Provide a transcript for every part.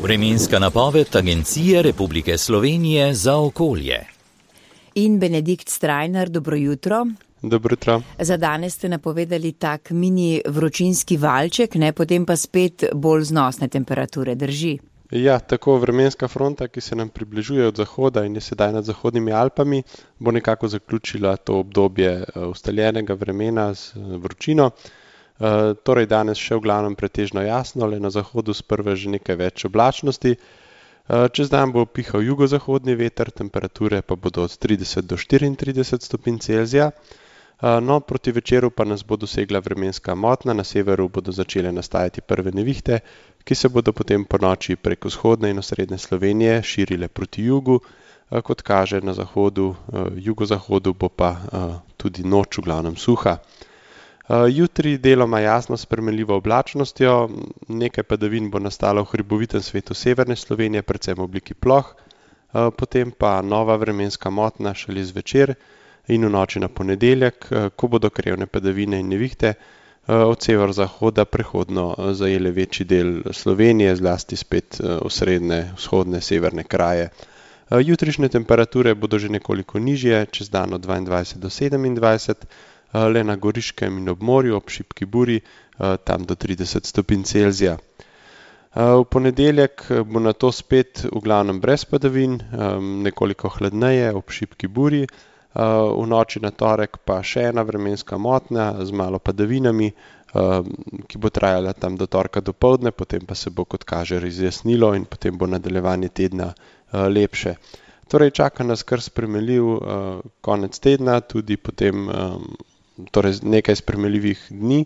Vremenska napoved Agencije Republike Slovenije za okolje. In Benedikt Strajnar, dobro jutro. Dobro jutro. Za danes ste napovedali tak mini vročinski valček, potem pa spet bolj znosne temperature, drži? Ja, tako vremenska fronta, ki se nam približuje od zahoda in je sedaj nad zahodnimi Alpami, bo nekako zaključila to obdobje ustaljenega vremena z vročino. Torej danes še v glavnem pretežno jasno, le na zahodu sprva že nekaj več oblačnosti. Čez dan bo pihal jugozahodni veter, temperature pa bodo od 30 do 34 stopinj Celzija. No, proti večeru pa nas bo dosegla vremenska motna, na severu bodo začele nastajati prve nevihte, ki se bodo potem po noči preko vzhodne in osrednje Slovenije širile proti jugu. Kot kaže na zahodu, jugozahodu bo pa tudi noč v glavnem suha. Jutri deloma jasno s spremenljivo oblačnostjo, nekaj padavin bo nastalo v hribovitem svetu severne Slovenije, predvsem v obliki ploh, potem pa nova vremenska motna šele zvečer in v noči na ponedeljek, ko bodo krevne padavine in nevihte od severozahoda prehodno zajele večji del Slovenije, zlasti spet osrednje, vzhodne, severne kraje. Jutrišnje temperature bodo že nekoliko nižje, čez dan od 22 do 27, le na Goriškem in ob morju ob šibki buri, tam do 30 stopinj Celzija. V ponedeljek bo nato spet v glavnem brez padavin, nekoliko hladneje ob šibki buri, v noči na torek pa še ena vremenska motnja z malo padavinami, ki bo trajala tam do torka dopoldne, potem pa se bo, kot kaže, razjasnilo in potem bo nadaljevanje tedna lepše. Torej čaka nas kar spremenljiv konec tedna, tudi potem torej nekaj spremenljivih dni,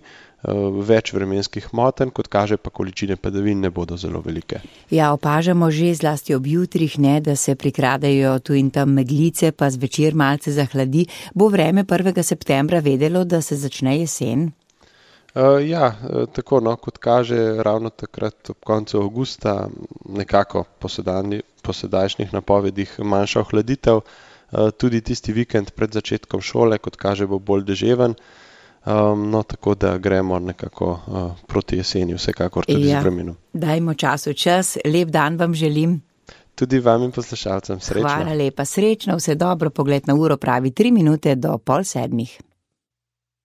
več vremenskih motenj, kot kaže pa količine padavin ne bodo zelo velike. Ja, opažamo že zlasti ob jutrih, da se prikradejo tu in tam meglice, pa zvečer malce zahladi. Bo vreme 1. septembra vedelo, da se začne jesen? Ja, tako kot kaže, ravno takrat ob koncu avgusta nekako po sedajšnjih napovedih manjša ohladitev. Tudi tisti vikend pred začetkom šole, kot kaže, bo bolj deževen, no tako da gremo nekako proti jeseni, vsekakor tudi z vremenom. Dajmo času čas, lep dan vam želim. Tudi vam in poslušalcem srečno. Hvala lepa, srečno, vse dobro, pogled na uro pravi 3 minute do 6:30.